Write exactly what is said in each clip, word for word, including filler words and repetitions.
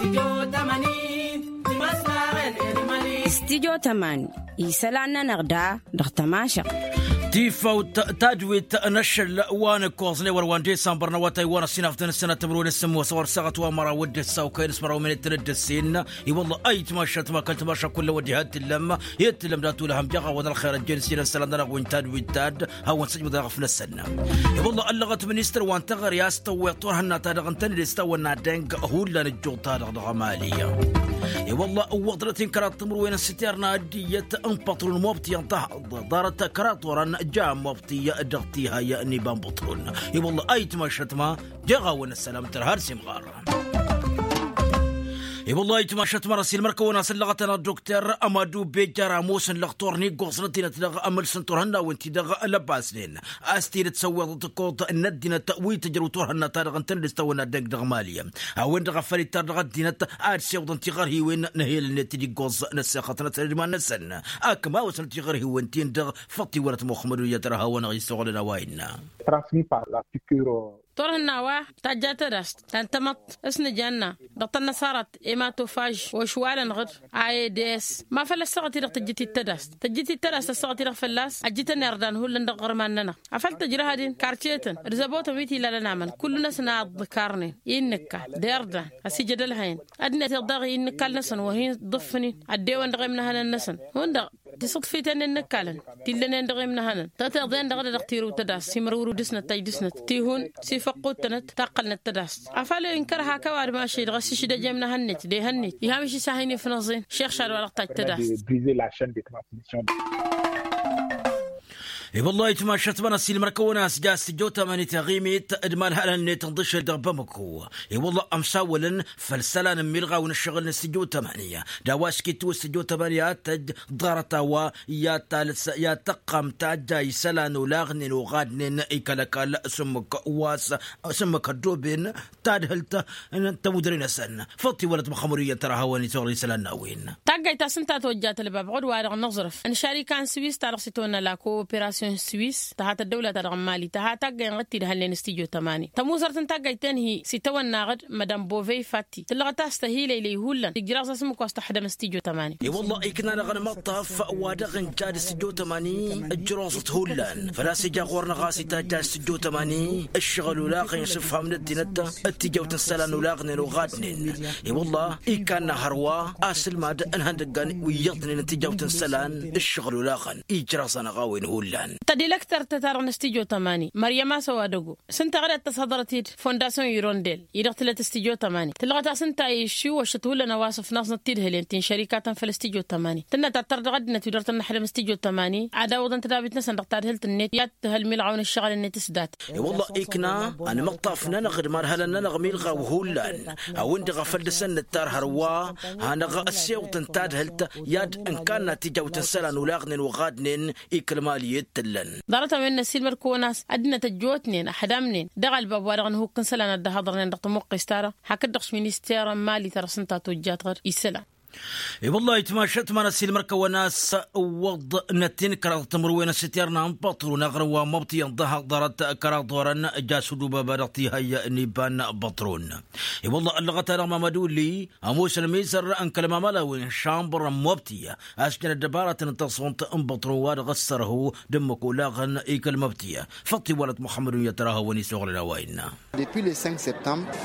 Stidyo tămani isălan-nănăɣ da dăɣ-tămašăɣt. Tifawt tadwit n-ašăl wa n-ǝkkoẓ n-ewăr wa n-disămbăr n-awătay wa n-ăssinaf d-anăsănat timǝrwen s-sǝmmos ăwăr saɣăt wa n-măraw d-ǝssa okăyăn s-măraw minit n-dd-ǝssin. I-wălla ayǝtmašat ma kăl-tămaša kull ăwăddi ha t-tǝllăm i-tǝllăm dat-ulăhăm jaɣ-awăn ălxer ăjjeen s-inăssălan-nănăɣ wi n-tadwit tad hawăn-sǝjmǝd dăɣ-afnăsăn. I-wălla ăllăɣăt ministăr wa n-teɣăre a-s tăwweḍ turhǝnna-ta-dăɣ ǝntăned s-tawănna deng hullan ăjjuḍ-ta-dăɣ dăɣ-emali. I-wălla ǝwwăḍnăt-in kăraḍ timǝrwen n-siterna ăddinăt n-păṭrun mobtiyăn tăhăḍ ḍarăt kăraḍ orăn ja mobtiy dăɣ-tihăy n-iba n-păṭrun. I-wălla ayǝtmašăt ma jeɣ-awăn ăssălam tărha d-simɣar. I-wălla ayǝtmašăt ma n-ăsilmăr-kăwăn-asǝllăɣăt-anăɣ dokter amadu bejjar ămoosăn lăxtur n-iggoẓnăt-inăt dăɣ-amǝlsăn turhǝnnawen-ti-dăɣ lăbbasnen. A-s tidǝt săwweḍăt ǝkkoḍ n-ăddinăt wi tǝjrǝw turhǝnna-ta-dăɣ ǝntănăd s-tawănna dăgg dăɣ-mali. A-wen-dăɣ a făl ittar dăɣ-ăddinăt ad-siwǝḍăn tiɣărhiwen n-ehel-net d-iggoẓ n-ăssexăt n-ăsăn d-iman-năsăn. Akǝmawăsnăt tiɣărhiwen-tin-dăɣ făṭṭ iwălăt muxămmăd uyyăt răha-wăn-dăɣ issoɣlăn a-wa innă. Transmis par la piqûre. Turhǝnna wa tajja tădast ta n-tamăḍt s-nǝjanna dăɣ-tănnăsarat ematofaž ošwalăn ɣǝd. Aeds ma făl ăssaɣăt-i-dăɣ tǝjjǝt-dd tădast tǝjjǝt-dd tădast ăssaɣăt-i-dăɣ fălla-s. Ăjjǝtăn irdan hullan dăɣ-iɣărman-nănăɣ afăl tǝjrăhăd-in karcetăn d-zăbotăn wi t-ilalăn amăn kullu-năsăn a dd-karnen i n-nǝkka d-irdan ăsijăd ălhăyăn. Ăddinăt-iḍ daɣ i n-nǝkkal-năsăn wăr hin-ḍǝffǝn-in ăddewăn dăɣ-imnăhănăn-năsăn hundăɣ. Tisǝḍfiten i n-nǝkkalăn tillănen dăɣ-imnăhănăn tăteḍen dăɣ-dd-dăɣ tirǝw tădas imrǝwrǝw dăɣ-snăt taj dăɣ-snăt tihun s-ifăqqut-tănăt taqqălnăt tădas. Afăl inkăr hak ăwadǝm ašăl-i dăɣ-s išdăj i-imnăhănnet d-ehănnet iham išis a hin-ifnăẓen. Šixšad wa dăɣ-taj tădas. I-wăllah itmašăt ma n-ăsilmăr-kăwăn a-s ja s-tijot amanit iɣimit d-imalhalăn-net n-iḍǝšel dăɣ-bamăko. I-wăllah ămsawălăn făll-isălan n-imilɣawen ǝššăɣǝl n-s-tijot amani d-a-wa s-kitǝw s-tijot amani ad-tăj ḍarăt a-wa i-ad-tăqqam tajja isălan olaɣnen oɣadnen ikăl-ăkall s-ǝmmǝk wa s-ǝmmǝk ăddooben tadhǝlt n-tămudre-năsăn. Făṭṭ-iwălăt măxămăd iyyăn tăra hawăn-isuɣǝl isălan n-a-wen. Taggayt ta s-ǝnta tojjat ălbab ɣud-wa-dăɣ n-aẓrǝf n-šarika n-swis ta dăɣ-s itawănna la kooperasyon swis tăha tăddăwla-ta-dăɣ n-mali tăha taggay n-ɣǝd tidhălnen s-tijo tămani tămuzărt n-taggayt tenhi s-itawănna ɣǝd mădam bovey fatti tǝllăɣăt a-s tăhileylăy hullan ijraẓ asǝmmǝk wa s-tăḥdăm s-tijo tămani. I-wălla ikna-năɣ ănmăṭṭaf wa dăɣ-ǝnja d-s tijo tămani ǝjroẓăt hullan făl-a-s ija ɣur-năɣ a-s itajja s-tijo tămani ǝššăɣǝl ulaɣen s-ǝfham n-ăddinăt d-tijawt n-isălan ulaɣnen oɣadnen. I-wălla ikkanna hărwa asǝlmad n-ihăndăggan wi iyyăḍnen n-tijawt n-isălan ǝššăɣǝl ulaɣăn ijraẓ-anăɣ a-wen hullan. Tădilăktărt-ta-dăɣ n-s-tijo tămani măryăm a-s ăwadăgo s-ǝnta ɣǝd ad-tăshăḍrăt-dd fondasyon irondel-i-dăɣ tǝlăt s-tijo tămani tǝllăɣăt-as ǝnta išiw ăššăt hullan a-wa s-ǝfnaẓnăt tidhǝlen ti n-šărikatăn făll-s tijo tămani tǝnnăt ad-tăr dăɣ-ăddinăt wi dăr-tăn-năḥdăm s-tijo tămani ad-awǝḍăn tădabit-năsăn dăɣ-tadhǝlt-net i-ad-tǝhăl milɣaw n-ǝššăɣǝl-net s-dat. I-wălla ikna ănmăṭṭaf-nănăɣ d-imarhălăn-nănăɣ milɣaw hullan a-wen-dăɣ a făl dăr-săn nǝttar hărwa hanăɣ-ăssewăḍăn tadhǝlt i-ad-ǝnkanna tijawt n-isălan olaɣnen oɣadnen. Ikăl mali i-dd-tǝllăn. Ḍarăt-a-wen n-ăssiilmăd-kăwăn a-s ăddinăt ăjjootnen ăḥdamnen dăɣ-ălbab wa dăɣ-nǝhukk n-isălan ad-dd-ăhhăḍărnen dăɣ-tămuqqes-ta-dăɣ hakd-dăɣ s-minister n-mali ta dăɣ-s ǝnta tojjat ɣur-isălan. I-wăllah itmašăt ma n-ăssiilmăd-kăwăn a-s ǝwwăḍnăt-in kăraḍ timǝrwen n-siterna n-păṭrun aɣrǝm wa n-măbtiyăn ḍahaḍ ḍarăt kăraḍ orăn jas udubaba dăɣ-tihăy n-iba n-păṭrun. I-wăllah ăllăɣăt-anăɣ mamăduli ămoos ălmizăr n-kăl-mamălawen n-šambăr n-mobti a-s jăn ăddăbarătăn n-taẓunt n-băṭrun wa dăɣ-ăssărhu d-ǝmmǝk olaɣăn i-kăl-măbti. Făṭṭ-iwwălăt muxămmăd unyăt răha wăn-isuɣǝlăn a-wa innă.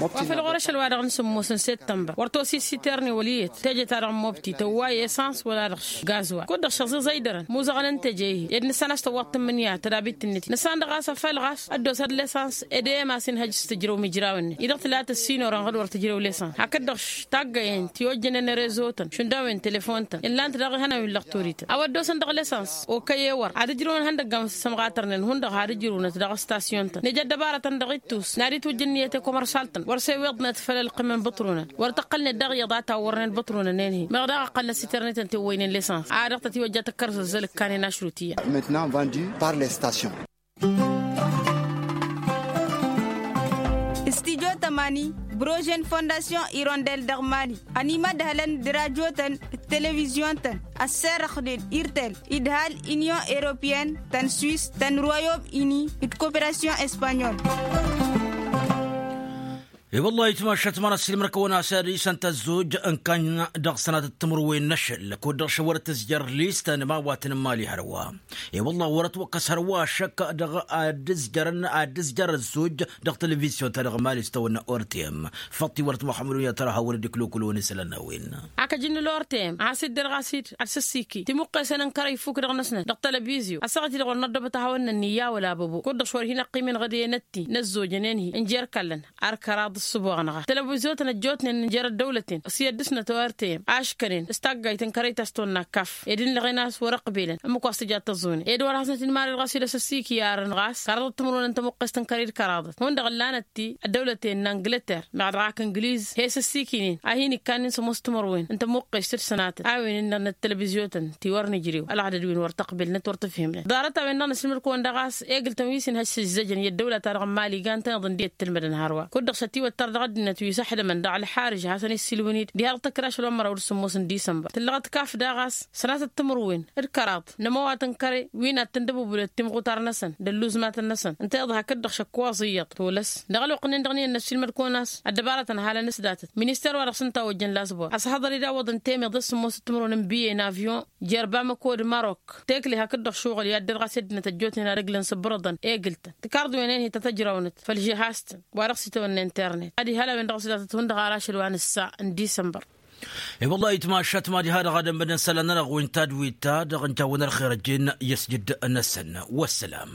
Wa făl ɣur-ašăl wa dăɣ-nǝsǝmmos n-săttămbăr wăr tosis siterni wăl' iyyăt teje-ta-dăɣ n-mobti tăwway esans wăla dăɣ-gazwal kud-dăɣ šăẓiẓăy dărăn muẓăɣăn n-teje-hi ed nǝssan a-s tăwwaḍ tǝmmǝnǝya tădabit-net nǝssan dăɣ-a-s afăl ɣas ăddos ad-lesans ed emas inhăj s-tǝjrăw imǝjraw-net-i-dăɣ tǝla tăssinorăn ɣǝd wăr tǝjrăw lesans hakd-dăɣ taggăyen ti ojjănen rezo-tăn šund a-wen telefon-tăn illan-t daɣ ihănan wi n-lăɣturităn a-wa dd-osăn dăɣ-lesans okăy ewăr ad-ǝjrǝwăn ihăndăggan wi s-sămɣatărnen hundăɣ had-ǝjrǝwnăt dăɣ-ăstasyun-tăn neja ăddăbarătăn dăɣ-ittus n-ad-itwǝjja ǝnniyăt i-komărsal-tăn wăr s-eweḍnăt făll-ălqǝm n-ibǝṭrunăn wăr tăqqălnet daɣ iyyăḍ a tawwărnen ibǝṭrunăn-en-hi meɣ daɣ ǝqqălnăt s-itărnităn ti ǝwwăynen lesans a dăɣ-tăt-iwăjja tăkkărăzăzzăl ǝkkanen ašrut iyyăḍ. Maintenant vendu par les stations. Stijo tămani brožen fondasyon irondel dăɣ-mali ănimădhălăn d-rajo-tăn d-televizyon-tăn ăsserăxnen irtel idhal inyon europeyăn tăn-swis tăn-royom ini d-koperasyon espanyol. I-wălla itmašat măra s-ilmăr-kăwăn-as ad-isăn tăzzuj n-kăn dăɣ-sănatăt timǝrwen n-ašăl kud-dăɣ šăwărăt tǝzjăr listăn ma wa tăn-mali hărwa. I-wălla wărăt wăkkăs hărwa ašăk dăɣ-ad-ǝzjărăn ad-ǝzjăr ăzzuj dăɣ-televizyon-ta-dăɣ mali s-tawănna ortem. Făṭṭi wărăt muḥămmăd unyăt ăra hawăn-dd-iklukǝl-wăn isălan n-a-wen. Akăjǝnnǝl ortem a-s dd-dăr ɣas-dd ad-săssiki timuqqesen n-kărăy fuk dăɣ-năsnăt dăɣ-televizyon ăssaɣăt-i-dăɣ wăr năddobăt ad-hawăn-nănni i-a-wăla băbo kud-dăɣ šwăr hin-ăqqimăn ɣǝdăyăn ătti n-ăzzojănen-hi ǝnjer kallăn. Arkăraḍ ǝssǝboɣ-năɣ telăbuzyotăn ăjjootnen ǝnjăr ăddăwlăten s-i ăddǝsnăt ortem aškănen s-taggayt n-kărăy ta s-tonna kaf ed ǝnnăɣen a-s wăr-ăqbelăn ǝmmǝk wa s-tǝja tăẓune ed wăr hasnăt-in-marăd ɣas wi d-asǝssiki arăn ɣas kăraḍăt timǝrwen n-tămuqqest n-kărăy d-kăraḍăt hundăɣ ǝllanăt-ti ăddăwlăten n-angǝlăter meɣ dăɣ-ak ǝngǝliz he-s ăssiikǝynen a hin-ikkannen sămoos timǝrwen n-tămuqqest d-sănatăt a-wen ǝnnănăt telăbizyotăn ti wăr nǝjrew ălɣădăd wi n-wăr tăqbelnăt wăr tǝfhimnăt ḍarăt-a-wen-dăɣ năsǝlmǝd-kăwăn dăɣ-a-s egǝl-tăn wi s-inhăj s-ǝzzăjăn i-ăddăwla-ta-dăɣ n-mali gan-tăn iḍǝn d-i ăttǝlmădăn hărwa kud-dăɣ šătiwăt tăr dăɣ-ăddinăt wi s-ăḥdămăn dăɣ-ălxarǝž hasăn-issilwǝn-dd diha-dăɣ tăkra ašăl wa n-măraw d-sǝmmos n-disămbăr tǝllăɣăt kaf daɣ a-s sănatăt timǝrwen d-kăraḍ n-ămăwat n-kăre wi n-ad-tǝndăbubǝlăt timɣutar-năsăn d-ălluzmatăn-năsăn ǝnta iḍa hakd-dăɣ šăkk wa ẓiyyăḍ tolăs dăɣ-ălwăqq-nin-dăɣ n-iyyăn n-ăssiilmăd-kăwăn a-s ăddăbarătăn halăn s-datăt minister-wa-dăɣ s-ǝnta ojjăn lasbor ăshaḍăr-dd awăḍăn temeḍ d-sǝmmos d-timǝrwen n-biye n-avyon jer-bamăko d-marok tekle hakd-dăɣ šuɣǝl i-ad-dd-ăr ɣas i-ăddinăt ăjjootnen ad-ǝglǝn s-ǝbbărăḍăn egǝl-tăn tǝkarḍ-wen-en hi-tăt-ăjrawnăt făll-žihaz-tăn wa dăɣ-s itawănna internet ad-ihăl a-wen-dăɣ s-datăt hundăɣ ar ašăl wa n-ǝssa n-disămbăr. I-wăllah itmašat mad-iha dăɣ-ad-ămmădăn isălan-nănăɣ wi n-tadwit-ta-dăɣ n-jawăn ălxer ăjjeen i-ăsjǝd-năsăn. Wăssălam.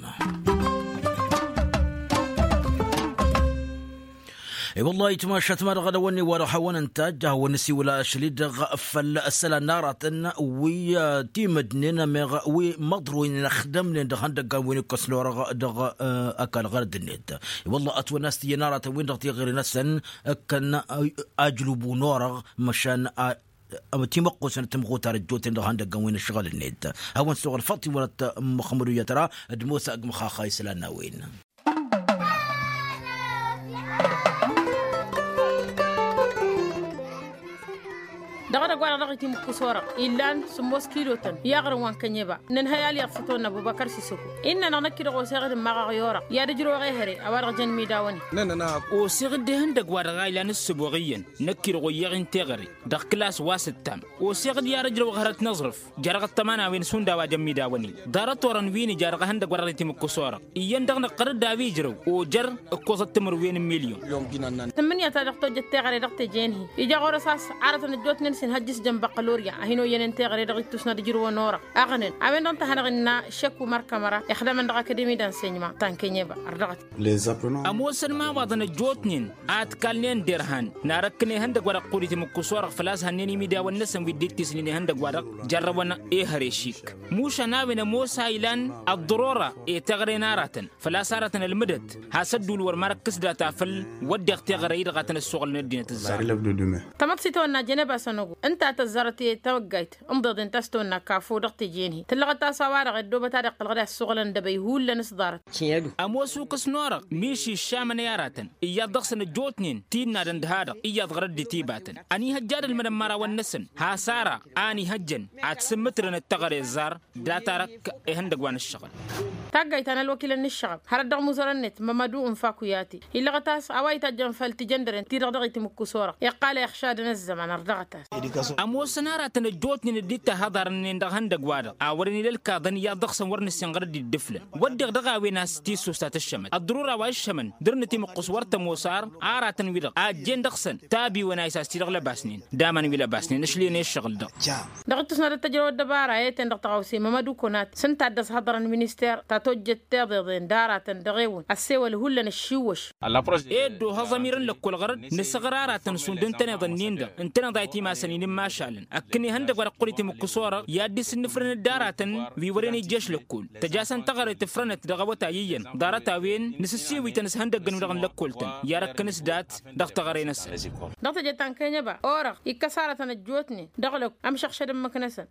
I-wăllah itmašat mad-dăɣ ad-ăwănne wa dăɣ-hawăn-ǝntajj ad-hawăn-nǝsiwǝl ašăl-i-dăɣ făll-isălan n-aratăn wi timǝdnen ămeɣ wi măḍroynen ăxdămnen dăɣ-ihăndăggan wi n-ikkăs n-orăɣ dăɣ-ăkall ɣărăd-net. I-wăllah ătwănna a-s t-iyyăn aratăn-win-dăɣ tiɣri-năsăn ǝkkăn ajlubu n-orăɣ măšan timăqqusăn timɣutar ăjjootnen dăɣ-ihăndăggăn wi n-ǝššăɣǝl-net. Hawăn-suɣǝl făḍ tiwărăt măxmădu yătra d-mosa ăgg măxaxa isălan n-a-wen. Dăɣ-edăgg-wa-dăɣ dăɣ-itimǝkkus orăɣ illan sǝmmos kilotăn i-aɣrǝm wa n-kănyeba. Nǝnhăy alyaḍ s-itwănna ăbubăkăr sisăko innă-năɣ năkk-i-dăɣ oseɣ-dd n-imaɣăɣ i-orăɣ i-ad-ǝjrăwăɣ ehăre a-wa-dăɣ jăn imidawăn-in. Oseɣ-dd ehăndăgg-wa-dăɣ a ilan ǝssǝboɣ iyyăn năkk-i-dăɣ oyyeɣ-in teɣăre dăɣ-kǝlas wa s-ǝttam. Oseɣ-dd i-ad-ǝjrăwăɣ hărăt n-aẓrǝf jer-aɣăṭṭăma n-a-wen s-hundăɣ wa jăn imidawăn-in. Ḍarăt-orăn wi n-ija dăɣ-ehăndăgg wa dăɣ-itimǝkkǝs orăɣ iyyăn dăɣ-năqqăr-dd a-wa ijrăw ojăr ǝkkoẓăt timǝrwen n-milyon. Tǝmmǝnǝya ta dăɣ-tojjăt teɣăre dăɣ-teje-in-hi ija ɣur-s a-s aratăn ăjjootnen s-inhăjj s-jăn băqqălorya a hin-oyyănen teɣăre dăɣ-ittus n-ad-ǝjrǝwăn orăɣ aɣǝnăn a-wen-dăɣ n-tăhănăɣ innă šek umăr kămăra ixdămăn dăɣ-akademi d-ansăyma ta n-kănyeba ărdăɣăt. Ămoosăn imawaḍăn ăjjootnen a ǝtkalnen derhan n-arăkkăn ihăndăgg wa dăɣ-qud itimǝkkǝs orăɣ făl-a-s hănnen imidawăn-năsăn wi dd-ittisnen ihăndăgg wa dăɣ-jărrăwăn ehăre šik. Mušan a-wen ămoos a ilan ăḍḍărora i-teɣăre n-aratăn făl-a-s aratăn ălmǝdăt has-ădduul wăr marăkkǝs data făll-wădden teɣăre-i-dăɣ a tăn-ăssoɣălăn ăddinăt ǝzzar. Tamăḍt s-itawănna jăneba sănăgo ǝnta a tăzzarăt i-tawăggayt ǝnḍeḍen ta s-tawănna kafo dăɣ-teje-in-hi tǝllăɣăt a-s a-wa-dăɣ ăddobăt a dd-iqqălăɣ d-a ăssoɣălăn dăbăy hullan s-ḍarăt. Ămoos ukǝs n-orăɣ miši ǝššamăn i-aratăn iyyăḍ dăɣ-săn ăjjootnen ti ǝnnadăn d-ha-dăɣ iyyăḍ ɣărăt d-itibatăn ănihăjja ad-ălmădăn imărawăn-năsăn. Has-ara a ănihăjjăn ad-sǝmmǝtrănăt teɣăre ăzzar. Dat-arăkk ihăndăgg wa n-ǝššăɣǝl. Taggayt ta n-ălwăkilăn n-ǝššăɣăb hărăt dăɣ-imuzărăn-net mămădu n-faku i-ati illăɣăt a-s a-wa itajjăn făll-tijăndăren-ti-dăɣ dăɣ-itimǝkkǝs orăɣ iqqal a ixšadăn ăzzăman ărdăɣăt-as. Ămoosăn aratăn ăjjootnen dd-ittahăḍarnen dăɣ-ihăndăgg-wa-dăɣ a wărăn ila ǝlkaḍăn iyyăḍ dăɣ-săn wăr nǝssin ɣărăt d-dd-ǝflăn. Wădden dăɣ-a-wen a-s tissust a tǝššămăt ăḍḍărura wa iššămăn dăr-nǝtimǝqqǝs wăr tămoos ar aratăn-wi-dăɣ a ăjjeen dăɣ-săn tabiwăn a isas-ti-dăɣ lăbasnen d-aman wi lăbasnen ǝšlǝyăn i-ǝššăɣǝl-dăɣ. Dăɣ-ittus n-ad-ăttăjrăw ăddăbara i-ten-dăɣ tăɣawse mămădu konat s-ǝnta a dd-ăshăḍărăn minister ta tojjăt tiḍeḍen d-aratăn dăɣ-ewăn ăssewăl hullan ăššiwwăš. Eddo hăẓămir n-lăkkol ɣărăt nǝsăɣra aratăn šund n-tăneḍ-ǝnnin-dăɣ ǝntăneḍ a itimasăn-in n-imašalăn ăkkăn ihăndăgg wa dăɣ-qul itimǝkkǝs orăɣ i-ad-dd-isǝnnǝfrănăt d-aratăn wi wărăn ijješ lăkkol. Tăjasăn teɣăre tǝfrănăt dăɣ-awătay iyyăn ḍarăt-a-wen nǝsǝssiwǝytăn s-ihăndăggăn-wi-dăɣ n-lăkkol-tăn i-arăkkăn s-dat dăɣ-teɣăre-năsăn. Dăɣ-teje ta n-kănyăba orăɣ ikkăs aratăn ăjjootnen dăɣ-lăkk ămšăɣšăd ǝmmǝk-năsăn.